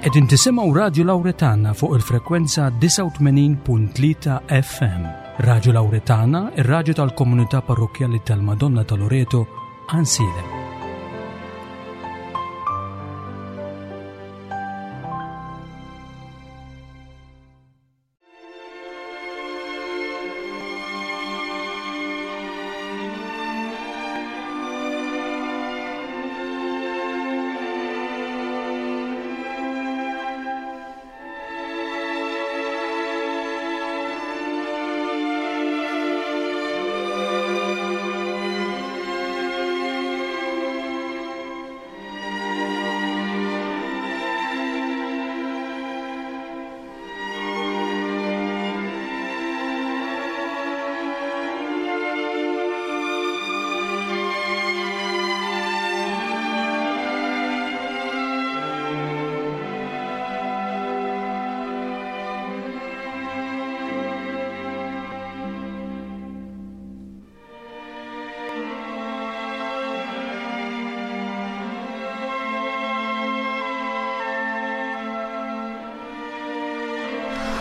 Qegħdin tisimgħu Radju Lawretana fuq il-frekwenza 89.3 FM. Radju Lawretana, ir-radju tal-komunità parrokkjali tal-Madonna ta' Loreto, Għansielem.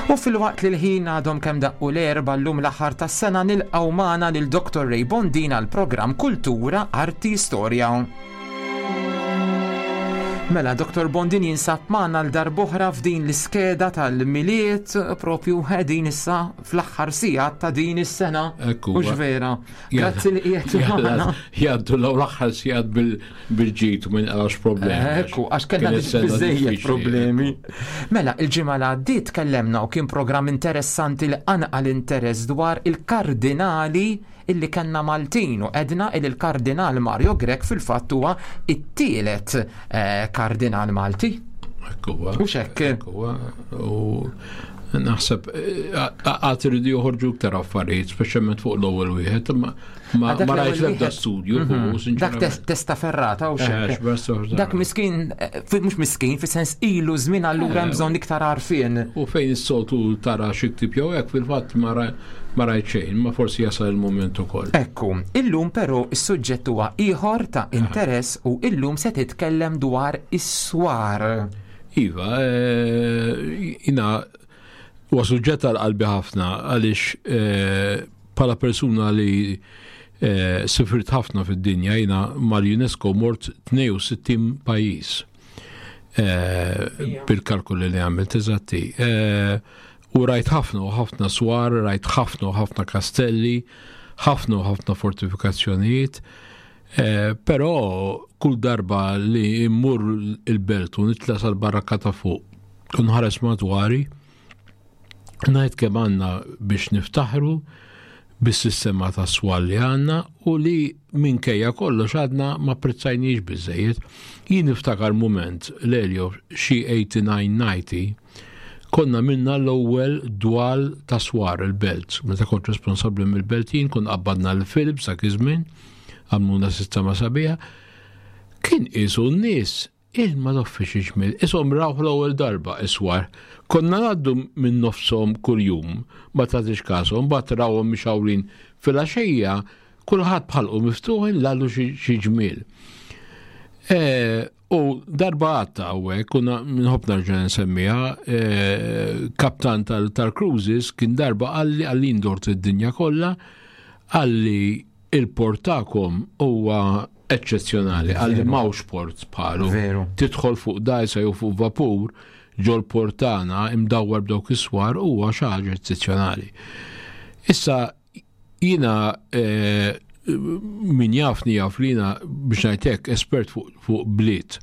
U filwaqt li l-ħin għadhom kemm daqqu l-erba llum l-aħħar tas-sena nilqgħu magħna lil Dr. Ray Bondin għal programm Kultura, Arti, Storja. Mela, Dr. Bondin jinsab magħna l darb'oħra f'din l-iskeda tal-Milied propju qegħdin issa fl-aħħar sigħat ta' din is-sena. Ekku. Mhux vera. Grazzi li qiegħed magħna. Jgħaddu l-aħħar sigħat bil-ġid u minn għax problemi. Ekku, għax kellna biżejjed problemi. Mela, il-ġimgħa li għaddiet tkellemna u kien programm interessanti li qanqal interess dwar il-kardinali illi kellna Maltin u għedna illi l-Kardinal Mario Grech fil-fatt huwa it-tielet eh, kardinal Malti. Ekku, U xekk. U naħseb eh, għad iridu joħorġu iktar affarijiet, speċjalment fuq l-ewwel wieħed, ma ma rajt l-ebda studju mhm. fuq Dak testa ferrata u xekk. Eh, Dak miskin, mhux miskin, fis-sens ilu żmien allura hemm bżonn iktar għarfien. U fejn is-soltu tara xi ktib jew hekk fil-fatt ma Ma rajt xejn, ma forsi jasal il-mument ukoll. Ekku, illum però is-suġġett huwa ieħor ta' interess u illum se titkellem dwar is-swar. Iva, eh, jina huwa suġġett għal qalbi ħafna għaliex eh, bħala persuna li eh, sifirt ħafna fid-dinja jina mal-UNESCO mort 62 pajjiż. Bil-kalkoli li għamilt eżatti. U rajt ħafna u ħafna swar, rajt ħafna u ħafna kastelli, ħafna u ħafna fortifikazzjonijiet. Eh, però kull darba li immur il-belt u nitla sal-barrakka ta' fuq u nħares madwari, ngħid kemm għandna biex niftaħru bis-sistema ta' swal li għandna u li minkejja kollox għadna ma prezzajniex biżejjed. Jien niftakar mument l-Elio xi 89-90 Konna minna l-ewwel dwal ta' swar il-belt. Meta kont responsabbli mill-belt jien kont qabbadna l-Philips dak iż-żmien, għamluna sistema sabiħa. Kien qisu n-nies il-ma noffi xi ġmiel, ishom rawh l-ewwel darba iswar. Konna ngħaddu minn nofshom kuljum, ma tagħtix kashom, mbagħad rawhom mixawrin filgħaxija, kulħadd b'ħalqu miftuħ inlallu xi ġmiel. Eh, U darba għatta għawek, u nħobb nerġa' nsemmiha, eh, kaptan tal-cruises kien darba għalli għalli ndort id-dinja kollha, għalli il-port tagħkom huwa eċċezzjonali, għalli mawx port bħalu. Tidħol fuq dajsa jew fuq vapur ġol portana imdawwar b'dawk is-swar huwa xi ħaġa eċċezzjonali. Issa Jiena eh, min jafni jaf li jiena biex ngħid espert fuq bliet.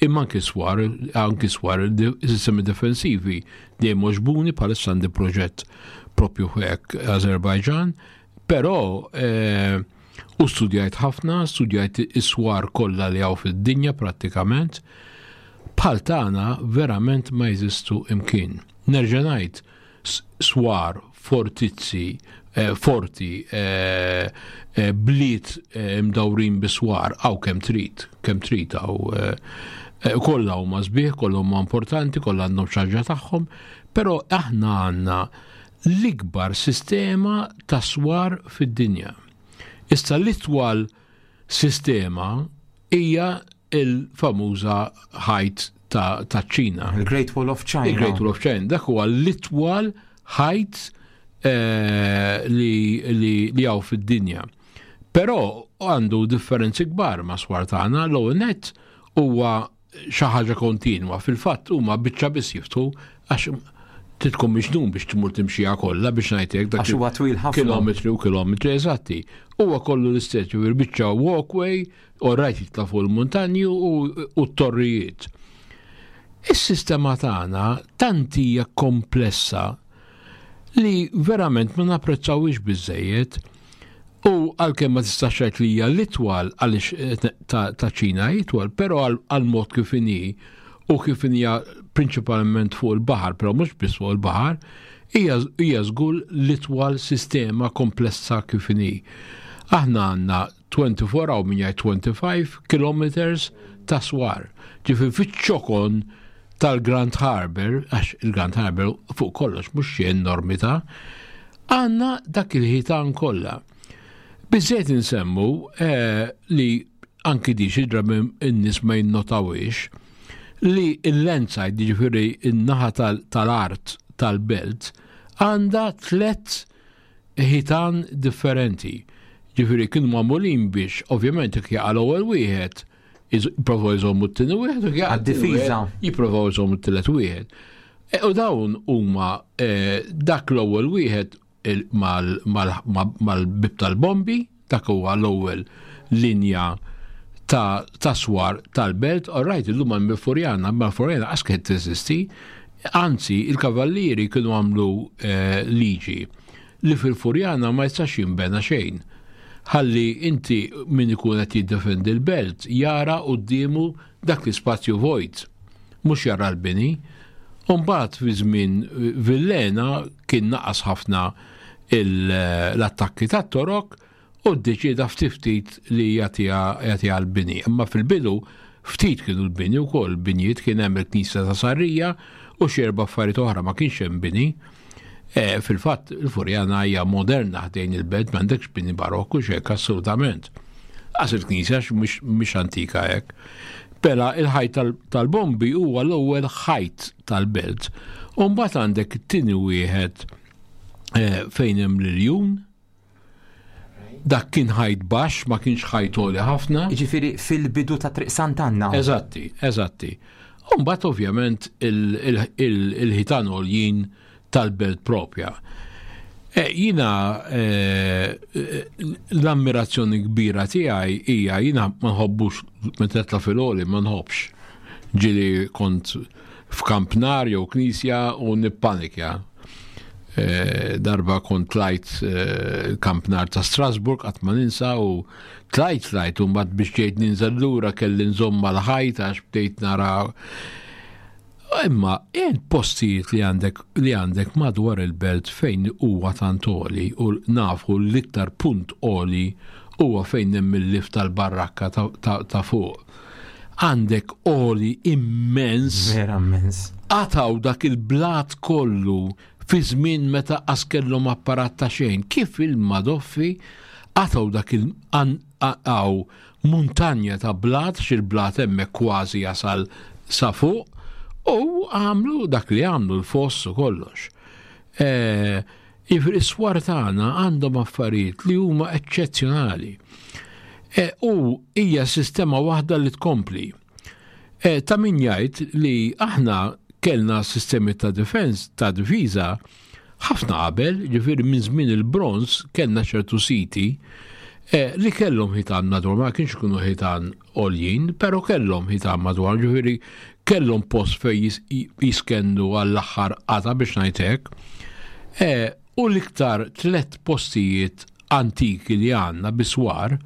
Imma anki swar, anki swar, sistemi defensivi dejjem oġbuni bħalissa għandi proġett propju hekk Azerbajġan, però eh, u studjajt ħafna, studjajt is-swar kollha li hawn fid-dinja prattikament, bħal tagħna verament ma jeżistu imkien. Nerġa' ngħid, swar, fortizzi, eh, forti, eh, eh, bliet imdawrin bi swar, għaw kemm trid, kemm trid għaw kollha huma sbieħ, kollha huma importanti, kollha għandhom xaġa tagħhom, però aħna għandna l-ikbar sistema ta' swar fid-dinja. Issa l-itwal sistema hija il-famuża ħajt ta' ċina. Il-Great Wall of China. Il-Great Wall of China. Dak huwa l-itwal ħajt eh, li hawn fid-dinja. Però għandu differenzi kbar ma' swar tagħna l-ewwel nett huwa xi ħaġa kontinwa. Fil-fatt huma biċċa biss jiftħu għax trid tkun miġnun biex tmur timxiha kollha biex ngħid hekk dak huwa twil ħafna. Kilometri u kilometri eżatti. Huwa kollu l-istess, ġifieri biċċa walkway, u rajt jitla' fuq il-muntanji u t-torrijiet. Is-sistema tagħna tant hija komplessa li verament ma napprezzawhiex biżżejjed. U għalkemm ma tistax tgħid li hija l-itwal għaliex eh, ta' Ċina itwal, però għal mod kif inhi u kif hija prinċipalment fuq il-baħar, però mhux biss fuq il-baħar, hija żgur l-itwal sistema komplessa kif inhi. Aħna għandna 24 hawn min jgħid 25 kilometers ta' swar. Ġifieri fiċ-ċokon tal-Grand Harbour, għax il-Grand Harbour fuq kollox mhux xi enormità, għandna dak il-ħitan kollha. Biżżejjed insemmu eh, li anki di xi drabi n-nies ma jinnotawiex li l-landside, jiġifieri n-naħa tal-art tal-belt, għandha tlet ħitan differenti. Ġifieri kienu magħmulin biex ovvjament jekk jaqa' l-ewwel wieħed jipprovaw jżommu t-tieni wieħed u jaqa' difiża jipprovaw jżommu t-tielet wieħed. E, u dawn huma e, dak l-ewwel wieħed mal-bib tal-bombi, dak huwa l-ewwel linja ta', ta swar tal-belt, all right, illum għal Furjana, ma Furjana qas kienet teżisti, anzi il-kavallieri kienu għamlu eh, liġi li fil-Furjana ma jistax jinbena xejn. Ħalli inti min ikun qed jiddefendi l-belt jara quddiemu dak l-ispazju vojt, mhux jara l-bini. U mbagħad fi żmien Villena kien naqas ħafna l-attakki tat-Torok u ddeċieda ftit ftit li jagħtiha l-bini. Imma fil-bidu ftit kienu l-bini wkoll, binjiet kien hemm il-Knisja ta' Sarrija u xi erba' affarijiet oħra ma kienx hemm bini. E, fil-fatt, il-Furjana hija moderna ħdejn il-belt, m'għandekx bini barokku xek assolutament. Għas il-knisja mhix antika hekk. Pela il-ħajt tal-bombi huwa l-ewwel ħajt tal-belt. U mbagħad għandek it-tieni wieħed e, fejn hemm l-iljun, Dak kien ħajt baxx, ma kienx ħajt għoli ħafna. Jiġifieri fil-bidu ta' Triq Sant'Anna. Eżatti, eżatti. U mbagħad ovvjament il-ħitan għoljin tal-belt propja. E, jina e, l-ammirazzjoni kbira tiegħi hija jina ma nħobbux meta tla fil-għoli ma nħobbx. Ġieli kont f'kampnar jew knisja u nippanikja. Eh, darba kont tlajt eh, il-kampnar ta' Strasburg qatt ma ninsa u tlajt tlajt u mbagħad biex ġejt ninżel lura kelli nżomm mal-ħajt għax bdejt nara Imma il postijiet li għandek li għandek madwar il-belt fejn huwa tant għoli u nafu l-iktar punt għoli huwa fejn hemm il-lift tal-barrakka ta' fuq. Għandek għoli immens. Vera immens. Qatgħu dak il-blat kollu fi żmien meta qas kellhom apparat ta' xejn. Kif il-Madoffi qatgħu dak il għaw muntanja ta' blat, xil-blat hemmhekk kważi jasal sa fuq, u għamlu dak li għamlu l-foss u kollox. E, Jiġifieri s-swar tagħna għandhom affarijiet li huma eċċezzjonali. E, u hija sistema waħda li tkompli. E, ta' min jgħid li aħna kellna sistemi ta' defense, ta' difiża ħafna qabel, ġifieri minn żmien il-bronz kellna ċertu siti e, li kellhom ħitan madwar, ma kienx ikunu ħitan għoljin, però kellhom ħitan madwar, ġifieri kellhom post fejn jiskendu għall-aħħar qata biex ngħid hekk. E, u l-iktar tlet postijiet antiki li għandna biswar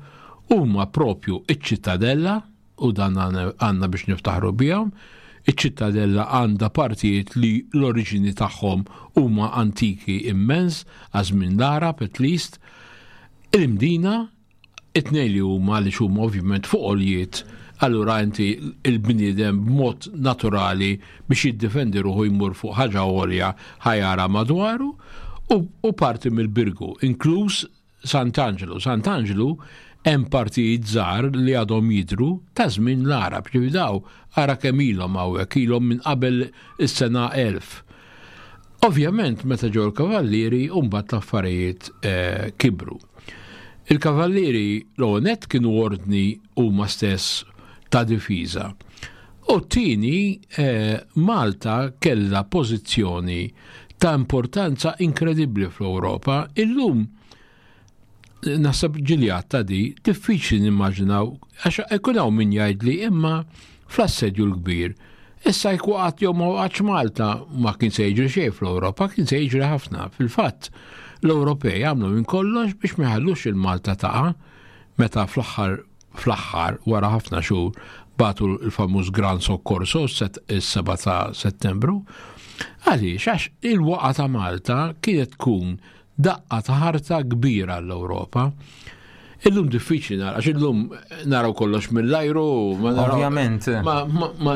huma propju iċ-ċittadella u dan għandna biex niftaħru bihom. Iċ-ċittadella għandha partijiet li l-oriġini tagħhom huma antiki immens, għaż-żmien l-Għarab at least. Il-Mdina It-tnejn li huma għaliex huma ovvjament fuq għoljiet, allura inti il-bniedem b'mod naturali biex jiddefendi ruħu jmur fuq ħaġa għolja ħajara madwaru u, u parti mill-Birgu, inkluż Sant'Anġlu. Sant'Anġlu Hemm partijiet żgħar li għadhom jidhru ta' żmien l-Għarab, ġifieri daw ara kemm ilhom hawnhekk, ilhom minn qabel is-sena 1000. Ovvjament meta ġew il-Kavallieri u mbagħad l-affarijiet eh, kibru. Il-Kavallieri l-ewwel nett kienu ordni huma stess ta' difiża. U t-tieni eh, Malta kellha pożizzjoni ta' importanza inkredibbli fl-Ewropa. Illum naħseb ġiljat ta' di, diffiċli nimmaġinaw, għax ikun hawn min jgħidli imma fl-assedju l-kbir. Issa jekk waqgħet jew ma waqgħatx Malta ma kien se jiġri xejn fl-Ewropa, kien se jiġri ħafna. Fil-fatt, l-Ewropej għamlu minn kollox biex ma jħallux il-Malta taqa' meta fl-aħħar fl-aħħar wara ħafna xhur bagħtu l-famuż Gran Soccorso is-7 ta' Settembru. Għaliex għax il-waqa ta' Malta kienet tkun Daqqa ta' ħarta kbira għall-Ewropa. Illum diffiċli nara, għax illum naraw kollox mill-ajru. Ovvjament. Ma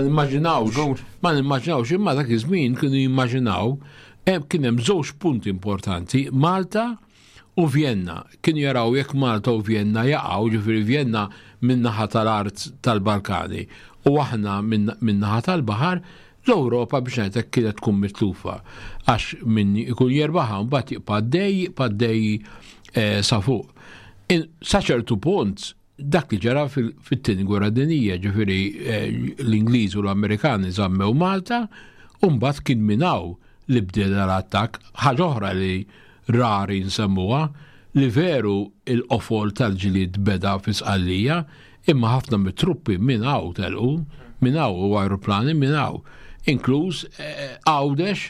nimmaġinawx, ma nimmaġinawx, imma dak iż-żmien kienu jimmaġinaw, eh, kien hemm żewġ punti importanti, Malta u Vienna. Kienu jaraw jekk Malta u Vienna jaqgħu, ġifieri Vienna min-naħa tal-art tal-Balkani u aħna min-naħa tal-baħar, L-Ewropa biex ngħid hekk kienet tkun mitlufa għax min ikun jerbaħha mbagħad jibqa' għaddej, jibqa' għaddej eh, sa fuq. Sa ċertu punt dak li ġara fit-tieni gwerra dinjija, ġifieri eh, l-Ingliż u l-Amerikani żammew Malta, u mbagħad kien minn hawn li bdiela l-attakk, ħaġa oħra li rari nsemmuha, li veru il-qofol tal-ġlied beda fi Sqallija, imma ħafna mit-truppi minn hawn telqu, minn hawn u ajruplani minn hawn, inkluż eh, Għawdex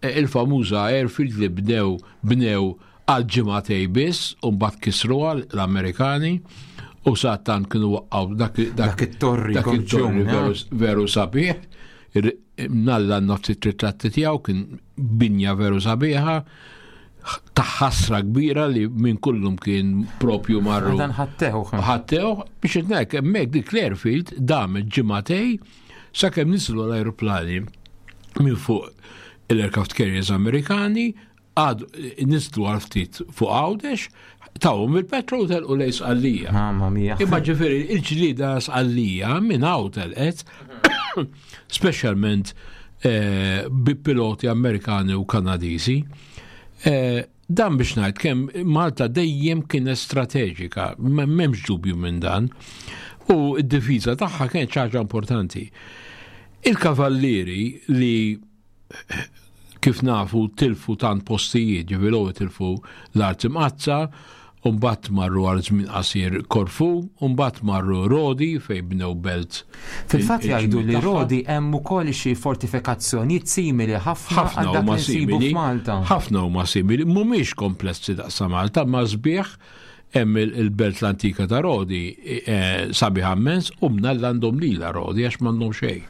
eh, il-famuża airfield li bnew bnew għal ġimagħtej biss u mbagħad kisruha l-Amerikani u sattan kienu waqqgħu dak dak it-torri dak it-torri veru, veru sabiħ Mnalla għandna ftit ritratti tiegħu kien binja veru sabiħa ta' ħasra kbira li minn kullum kien propju marru. Dan ħattew. Ħattew biex nek hemmhekk dik l-airfield damet ġimagħtej sakemm nislu l-ajruplani minn fuq l-aircraft carriers Amerikani Għad nizlu għal ftit fuq Għawdex, tawhom il-petrol telqu lejn Sqallija. Mamma mia. Imma ġifieri il-ġlieda Sqallija minn hawn telqet, speċjalment eh, bi piloti Amerikani u Kanadiżi. Eh, dan biex ngħid kemm Malta dejjem kienet strateġika, m'hemmx dubju minn dan. U d-difiża tagħha kienet ħaġa importanti. Il-kavallieri li kif nafu tilfu tant postijiet, ġifieri l-ewwel tilfu l-Art Imqaddsa, u mbagħad marru għal żmien qasir Korfu, u mbagħad marru Rodi fejn bnew belt. Fil-fatt jgħidu li Rodi hemm ukoll xi fortifikazzjonijiet simili ħafna għal dak li nsibu f'Malta. Ħafna huma simili, mhumiex komplessi daqs Malta, ma sbieħ hemm il-belt l-antika ta' Rodi eh, sabiħa immens u mnalla għandhom lila Rodi għax m'għandhom xejn.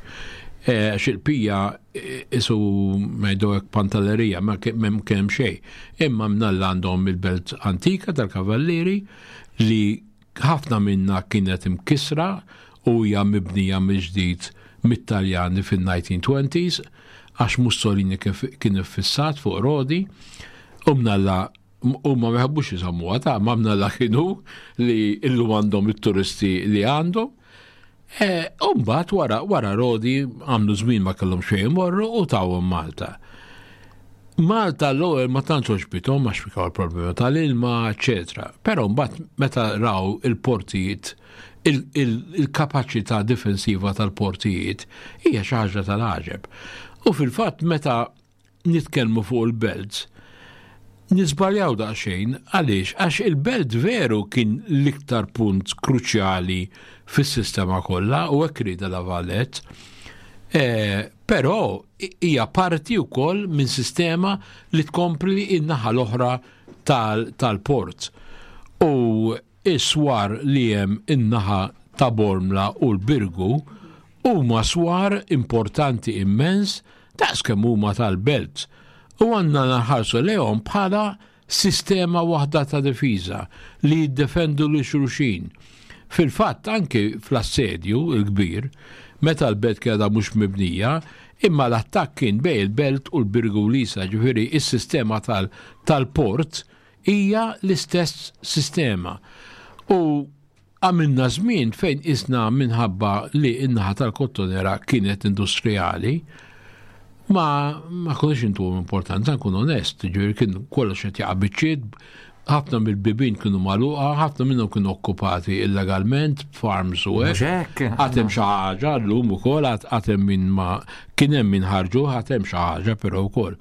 Eh, għax il-pija eh, isu ngħidu hekk pantallerija ma kemm kemm xejn. Imma mnalla għandhom il-belt antika tal-Kavallieri li ħafna minna kienet imkisra u hija mibnija mill-ġdid mit-Taljani fin-1920s għax Mussolini kien iffissat fuq Rodi u mnalla Huma ma jħobbux isemmuha ta' ma mnalla kienu li illum għandhom it-turisti li għandhom. E, u mbagħad wara wara Rodi għamlu żmien ma kellhom xejn imorru u tawhom Malta. Malta l-ewwel ma tantx għoġbithom għax fikaw il-problema tal-ilma, eċetera. Però mbagħad meta raw il-portijiet il-kapaċità difensiva tal-portijiet hija xi ħaġa tal-għaġeb. U fil-fatt meta nitkellmu fuq il-belts, niżbaljaw daqsxejn għaliex għax il-belt veru kien l-iktar punt kruċjali fis-sistema kollha u hekk rieda La Valette. E, però hija parti wkoll minn sistema li tkompli in-naħa l-oħra tal-port. U Is-swar li hemm in-naħa ta' Bormla u l-Birgu huma swar importanti immens daqs kemm huma tal-Belt u għandna nħarsu lejhom bħala sistema waħda ta' difiża li jiddefendu lil xulxin. Fil-fatt anki fl-Assedju l-Kbir, meta l-Belt kienet għadha mhux mibnija, imma l-attakk kien bejn il-Belt u l-Birgu u l-Isla, ġifieri s-sistema tal-port hija l-istess sistema. U Għamilna żmien fejn isna minħabba li n-naħa tal-Kottonera kienet industrijali, ma ma konniex intuhom importanza, nkun onest, ġifieri kien kollox qed jaqa' biċċiet, ħafna mill-bibien kienu magħluqa, ħafna minnhom kienu okkupati illegalment, farms u hekk. Għad hemm xi ħaġa llum ukoll għad hemm min ma kien hemm min ħarġu, għad hemm xi ħaġa però wkoll.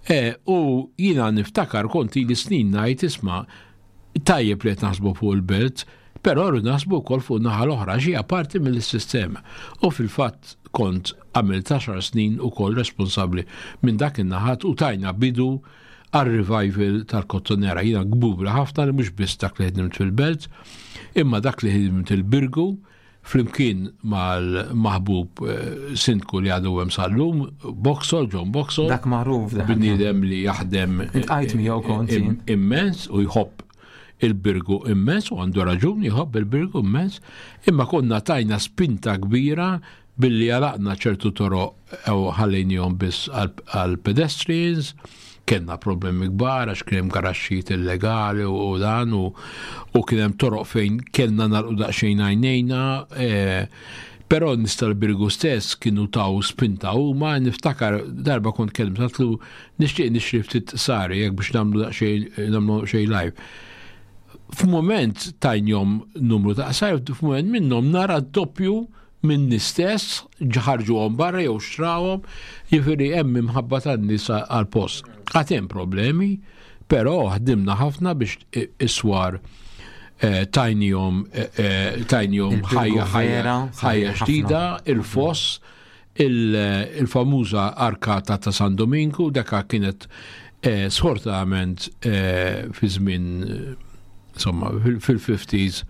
E, u jiena niftakar kont ili snin ngħid isma' Tajjeb li qed naħsbu fuq il-belt, però rridu naħsbu wkoll fuq naħa l-oħra għax hija parti mill-sistema. U fil-fatt kont għamilt 10 snin ukoll responsabbli minn dak in-naħat u tajna bidu għar-revival tal-Kottonera. Jiena kbura ħafna li mhux biss dak li ħdimt fil-belt, imma dak li ħdimt il-Birgu, flimkien mal-maħbub eh, sindku li għadu hemm sal-lum, Boxall, John Boxall. Dak magħruf. Bniedem li jaħdem Iltqajt miegħu kont jien. immens u jħobb il-birgu immens u għandu raġun jħobb il-birgu immens, imma konna tajna spinta kbira Billi għalaqna ċertu toroq u ħallejnihom biss għall-pedestrians, kellna problemi kbar għax kien hemm garaxxijiet illegali u dan u, u kien hemm toroq fejn kellna nagħlqu daqsxejn għajnejna. E, però nies tal-Birgu stess kienu taw spinta huma, niftakar darba kont kellimt għatlu nixtieq nixtri ftit sari jekk biex nagħmlu daqsxejn nagħmlu xejn live. F'mument tajnjom numru ta' qsar, f'mument minnhom nara doppju min-nies stess, ħarġuhom barra jew xtrawhom, jiġifieri hemm imħabba tan-nies għall-post. Għad hemm problemi, però ħdimna ħafna biex is-swar eh, tajnihom eh, eh, tajnihom ħajja ħajja ħajja ġdida, il-foss, il-famuża arkata ta' San Dominku, daka kienet sfortunatament fi żmien insomma fil-50s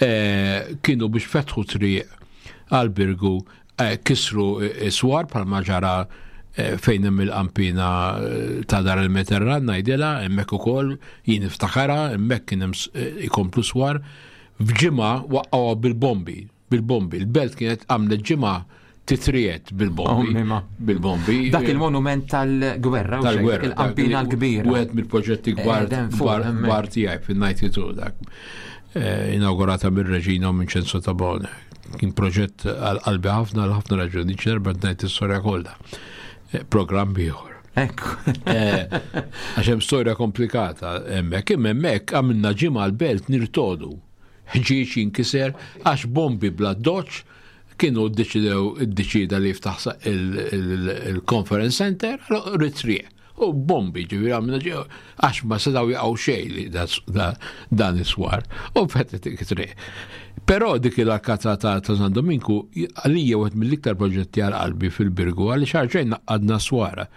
Eh, kienu biex fetħu triq għal-Birgu eh, kisru swar bħalma ġara eh, fejn hemm il-qampina ta' dar il-Mediterran ngħidilha hemmhekk ukoll jien niftakara hemmhekk kien hemm ikomplu swar f'ġimgħa waqqgħuha bil-bombi bil-bombi. Il-belt kienet għamlet ġimgħa titriet bil-bombi. Bil-bombi. Dak il-monument tal-gwerra, tal-gwerra, il-qampina l-kbira. Wieħed mill-proġetti kbar eh, kbar tiegħi fin-92 dak. Eh, inaugurata mir-Reġina u minn Ċensu Tabone. Kien proġett għal-qalbi ħafna għal ħafna raġuni, ċerba ngħid is-storja kollha. Eh, programm ieħor. Ekku. Għax hemm storja komplikata hemmhekk, imma hemmhekk għamilna ġimgħa l-belt nirtodu. Ħġieġ jinkiser għax bombi bla doċ Kienu ddeċidew iddeċieda li jiftaħ il-conference center, ritriq. U bombi ġifieri għamilna ġew għax ma setgħu jaqgħu xejn li dan is-swar. U fetħet it-triq. Però dik il-arkata ta' San Dominku għalija wieħed mill-iktar proġetti għal qalbi fil-Birgu għaliex għarġejn naqqadna swara.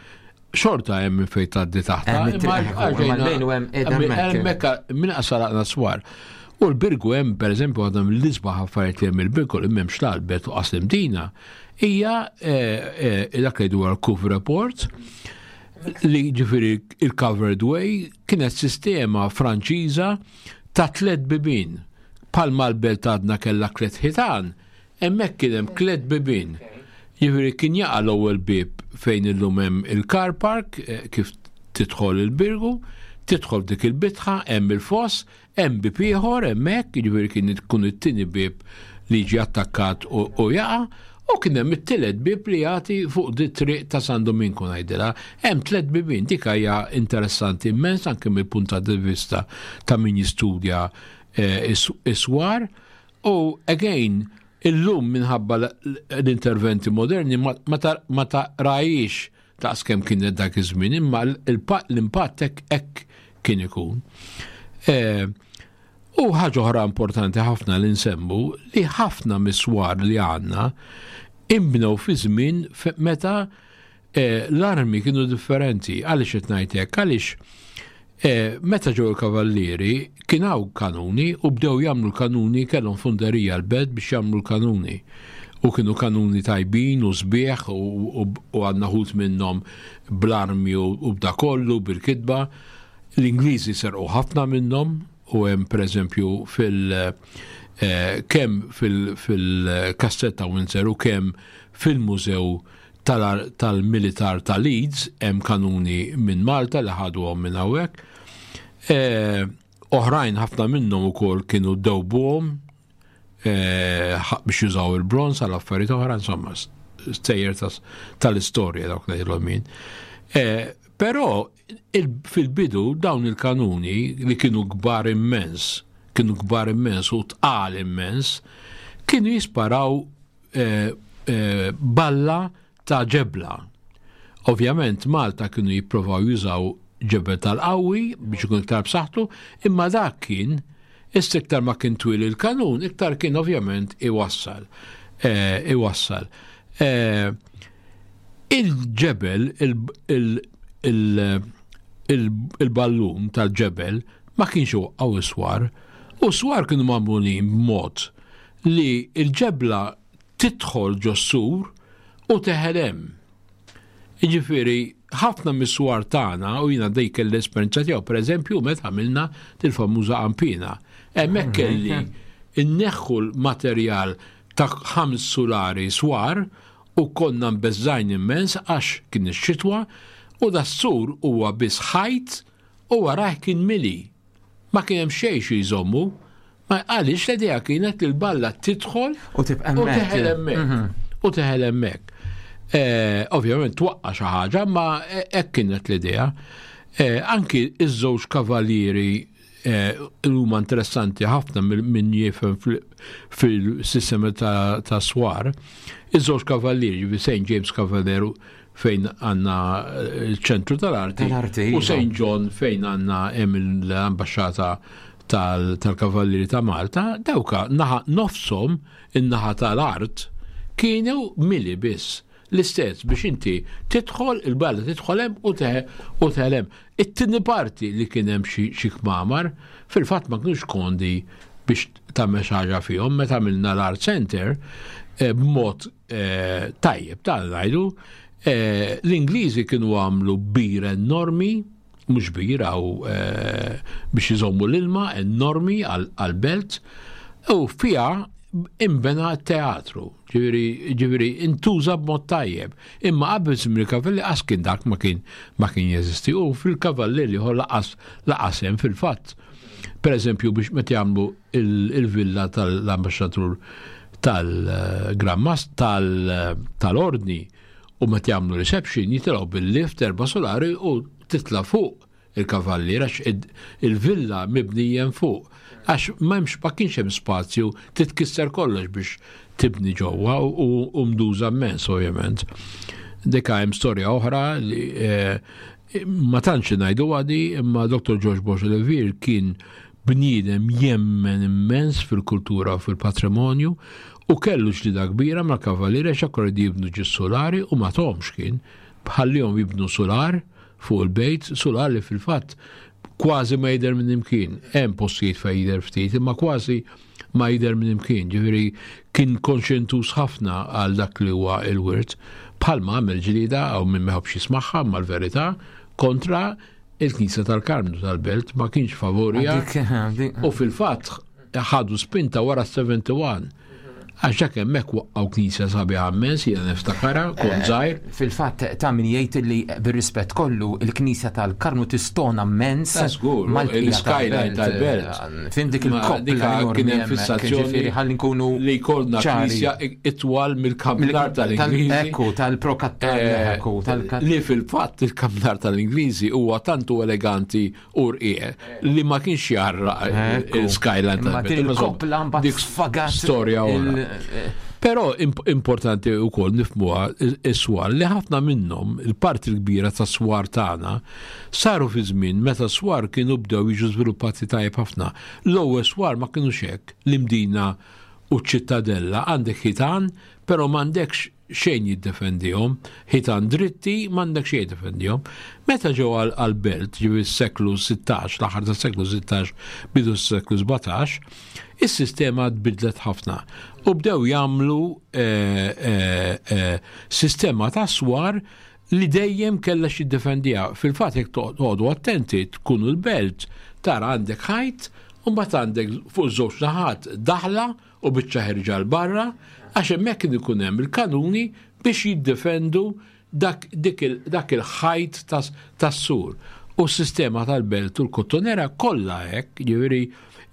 Xorta hemm minn fejn tgħaddi taħta. Hemmhekk minn qasaraqna swar. U l-Birgu hemm pereżempju għadha mill-isbaħ affarijiet li hemm il-Birgu li m'hemmx l-Albert u qas Dina hija eh, eh, dak li dwar Kuf Report li ġifieri il-covered way kienet sistema Franċiża ta' tliet bibien. Palma l-belt għadna kellha tliet ħitan, Hemmhekk kien hemm tliet bibien. Jiġifieri kien jaqa' l-ewwel bieb fejn illum hemm il-car park eh, kif tidħol il-Birgu, tidħol f'dik il-bitħa, hemm il-foss, hemm bieb ieħor hemmhekk, jiġifieri kien ikun it-tieni bieb li jiġi attakkat u jaqa', u kien hemm it-tielet bieb li jagħti fuq di triq ta' San Dominku ngħidilha. Hemm tliet bibien, dik hija interessanti immens anke mill-punt ta' vista ta' min jistudja eh, is-swar. U again, illum minħabba l-interventi moderni ma taqrajix daqs kemm kienet dak iż-żmien, imma l-impatt hekk kien ikun. E, u ħaġa oħra importanti ħafna li nsemmu li ħafna miswar li għandna imbnew fi żmien meta Eh, l-armi kienu differenti. Għaliex qed ngħid hekk? Għaliex eh, meta ġew il-kavallieri kien hawn kanuni u bdew jagħmlu l-kanuni kellhom funderija l-belt biex jagħmlu l-kanuni. U kienu kanuni tajbin u sbieħ u għandna ħut minnhom bl-armi u b'da kollu bil-kitba. L-Ingliżi serqu ħafna minnhom u hemm pereżempju fil- eh, kemm fil-kastell ta' Windsor u kemm fil-mużew tal-militar ta' Leeds hemm kanuni minn Malta li ħaduhom minn hawnhekk. E, oħrajn ħafna minnhom ukoll kienu dewbuhom biex jużaw il-bronz għal affarijiet oħra, insomma, stejjer tal-istorja dawk ngħidilhom jien. Però fil-bidu dawn il-kanuni li kienu kbar immens, kienu kbar immens u tqal immens, kienu jisparaw balla ta' ġebla. Ovvjament Malta kienu jipprovaw jużaw ġebel tal-qawwi biex ikun iktar b'saħħtu, imma dak kien issa iktar ma kien twil il-kanun, iktar kien ovvjament iwassal. Eh, iwassal. Eh, il-ġebel, il-ballun tal-ġebel ma kienx għaw swar, u swar kienu magħmulin b'mod li il-ġebla tidħol ġos-sur u teħel hemm. Jiġifieri, ħafna mis-swar tagħna, u jiena dik kelli l-esperjenza tiegħu, pereżempju meta għamilna dil-famuża qampina. Hemmhekk kelli nneħħu l-materjal ta' ħams sulari swar u konna mbeżżgħin immens għax kien ix-xitwa u das-sur huwa biss ħajt u warajh kien mili. Ma kien hemm xejn xi jżommu. Ma għaliex l-idea kienet li l-balla tidħol u tibqa' u teħel hemmhekk. Mhm. U teħel hemmhekk. Eh, ovvjament twaqqa xi ħaġa, ma hekk kienet l-idea. Eh, anki iż-żewġ kavallieri eh, huma interessanti ħafna minn jifhem fil-sistema ta' swar. Iż-żewġ kavallieri, St. James Cavalier fejn għanna il-ċentru tal-arti u iva. St. John fejn għanna hemm l-ambasċata tal-Kavallieri ta' Malta, dawka naħa nofshom in-naħa tal-art kienu mili biss. L-istess biex inti tidħol il-balla tidħol hemm u teħel hemm. It-tieni parti li kien hemm xi kmamar, fil-fatt ma kinux kondi biex tagħmel xi ħaġa fihom meta għamilna l-art center eh, b'mod eh, tajjeb ta' ngħidu, eh, l-Ingliżi kienu għamlu bir enormi, mhux bir għaw eh, biex iżommu l-ilma enormi għal-belt, u fija imbena teatru, ġifieri intuża b'mod tajjeb. Imma qabel żmien il-kavalli qas kien dak ma kien ma kien jeżisti u fil-kavalli li laqas laqas hemm fil-fatt. Per eżempju biex meta jagħmlu il-villa tal-ambaxxatur tal-Gran tal-Ordni u meta jagħmlu reception jitilgħu bil-lift erba' solari u titla' fuq il-kavallier għax il-villa mibnija fuq għax m'hemmx ma kienx hemm spazju titkisser kollox biex tibni ġewwa u mduża immens ovvjament. Dika hemm storja oħra li eh, ma tantx ngħidu għadi imma Dr. George Bosch Levere kien Bniedem jemmen immens fil-kultura u fil-patrimonju u kellu ġlieda kbira mal-Kavallieri għax aktar riedu jibnu ġis sulari u ma tahomx kien. Ħallihom jibnu sular fuq il-bejt, sular li fil-fatt kważi ma jidher minn imkien. Hemm postijiet fejn jidher ftit, imma kważi ma jidher minn imkien. Ġifieri kien konxjentuż ħafna għal dak li huwa l-wirt. Bħalma għamel ġlieda hawn min ma jħobbx jismagħha imma l-verità kontra il-Knisja tal-Karmnu tal-Belt ma kienx favorija u fil-fatt ħadu spinta wara 71. Għax dak hemmhekk waqqgħu knisja sabiħa immens, jiena niftakarha, kont eh, żgħir. Fil-fatt ta' min jgħid li bir-rispett kollu il-knisja tal-Karmnu tistona immens. Mal-skyline tal-belt. Eh, fim dik il-koppla kien hemm fissazzjoni ħalli nkunu li jkollna knisja itwal mill-kampnar tal-Ingliżi. Ekku, tal-prokattar, eh, ekku, tal Li fil-fatt il-kampnar tal-Ingliżi huwa tantu eleganti u rqieq li ma kienx jarra il-skyline tal-koppla mbagħad sfagat. Storja oħra. Eh, Però importanti wkoll nifmuha is-swar li ħafna minnhom, il-parti l-kbira tas swar tagħna, saru fi żmien meta swar kienu bdew jiġu żviluppati tajjeb ħafna. L-ewwel swar ma kinux hekk, l-Imdina u ċ-Ċittadella għandek ħitan, però m'għandekx xejn jiddefendihom, ħitan dritti m'għandek xejn jiddefendihom. Meta ġew għall-belt, ġifieri s-seklu 16, l-aħħar tas-seklu 16, bidu s-seklu 17, is-sistema tbidlet ħafna u bdew jagħmlu eh, eh, eh, sistema ta' swar li dejjem kellha xi ddefendiha. Fil-fatt jekk toqgħodu attenti tkunu l-belt tara għandek ħajt u mbagħad għandek fuq żewġ naħat daħla u biċċa ħerġa 'l barra għax hemmhekk kien ikun hemm il-kanuni biex jiddefendu dak, dak il-ħajt tas-sur. U s-sistema tal-belt u l-kottonera kollha hekk, jiġifieri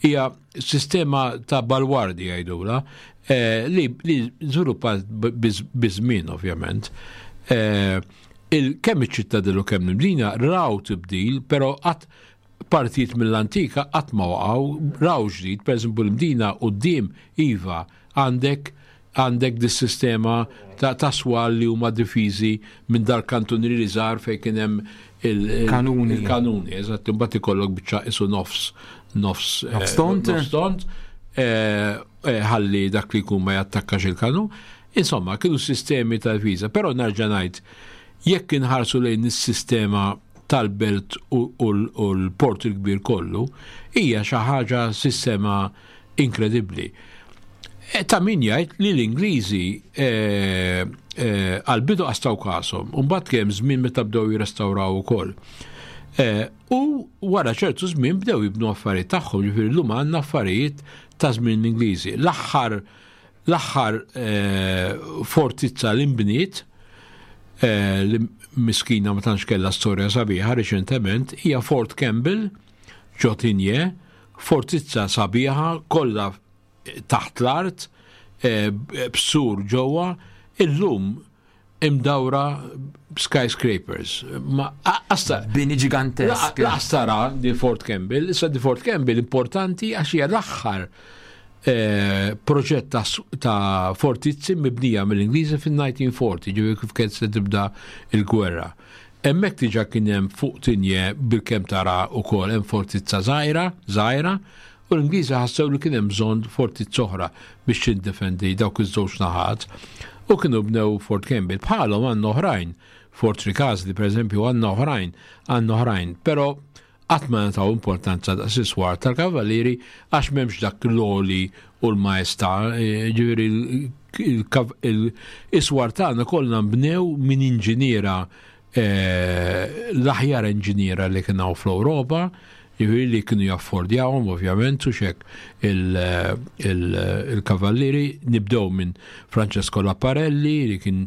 Hija sistema ta' balwardi jgħidula eh, li, li żviluppat biż-żmien ovvjament. Eh, kemm iċ-ċittadell u kemm l-Imdina raw tibdil, però qatt partijiet mill-antika qatt ma waqgħu, raw ġdid, pereżempju l-Imdina quddiem iva għandek għandek dis-sistema ta' ta' swal li huma difiżi minn dal-kantunieri żgħar fejn kien hemm il-kanuni. Il-kanuni, eżatt, imbagħad ikollok biċċa isu nofs nofs eh, nofs tont. Nofs tont eh, eh, ħalli dak li jkun ma jattakkax il-kanun. Insomma, kienu sistemi ta' difiża, però nerġa' ngħid jekk inħarsu lejn is-sistema tal-belt u l-port il-kbir kollu, hija xi ħaġa sistema inkredibbli. E, ta' min jgħid li l-Ingliżi e, e, għal-bidu qastaw kasom, u mbagħad kemm żmien meta bdew jirrestawraw ukoll. U wara ċertu żmien bdew jibnu affarijiet tagħhom, ġifieri llum għandna affarijiet ta' żmien l-Ingliżi. L-aħħar l-aħħar fortizza li nbniet li miskina ma tantx kellha storja sabiħa riċentement hija Fort Campbell ġo Tigné, Fortizza sabiħa kollha taħt l-art, eh, b'sur ġewwa, illum imdawra skyscrapers. Ma asta bini ġigantesk. Laqas tara di Fort Campbell, issa di Fort Campbell importanti għax hija l-aħħar eh, proġett ta', ta fortizzi mibnija mill-Ingliżi fin-1940, ġifieri kif kienet se tibda il-gwerra. Hemmhekk diġà kien hemm fuq Tigné bilkemm tara wkoll hemm fortizza żgħira, żgħira, u l-Ingliżi ħassew li kien hemm bżonn fortizza oħra biex tindefendi dawk iż-żewġ naħat u kienu bnew Fort Campbell. Bħalhom għandna oħrajn, Fort Ricasoli pereżempju għandna oħrajn, għandna oħrajn, però Qatt ma ngħataw importanza daqs is-swar tal-Kavallieri għax m'hemmx dak l-għoli u l-maestà, ġifieri is-swar tagħna kollha nbnew minn inġiniera eh, l-aħjar inġiniera li kien hawn fl-Ewropa, ġifieri li kienu jaffordjawhom ovvjament u xek il-kavallieri nibdew minn Francesco Laparelli li kien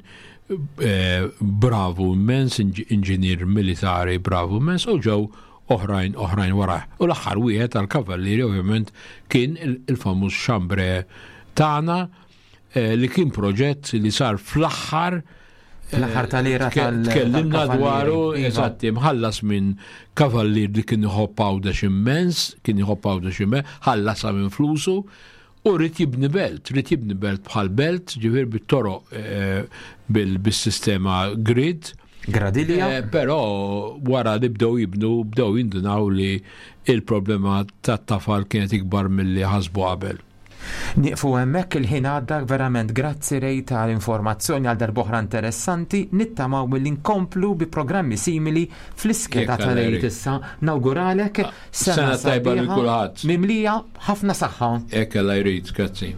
eh, bravu immens, inġinier militari bravu immens, u ġew oħrajn oħrajn wara. U l-aħħar wieħed tal-kavallieri ovvjament kien il-famuż Chambre tagħna eh, li kien proġett li sar fl-aħħar eh, L-aħħar tal-era tal Tkellimna dwaru, iva. eżatti, mħallas minn kavallier li kien iħobb għawdex immens, kien iħobb għawdex immens, ħallasha minn flusu, U ried jibni belt, ried jibni belt bħal belt, ġifieri bit-toroq eh, bis-sistema grid. Gradilja. Eh, però wara li bdew jibnu, bdew jindunaw li il-problema tat-tafal kienet ikbar milli ħasbu qabel. Nieqfu hemmhekk il-ħin għadda verament grazzi Ray tal-informazzjoni għal darb'oħra interessanti nittamaw milli nkomplu bi programmi simili fl-iskeda tal-Għid issa. Nawguralek ah, sena tajba lil kulħadd. Mimlija ħafna saħħa. Hekk Alla jrid, grazzi.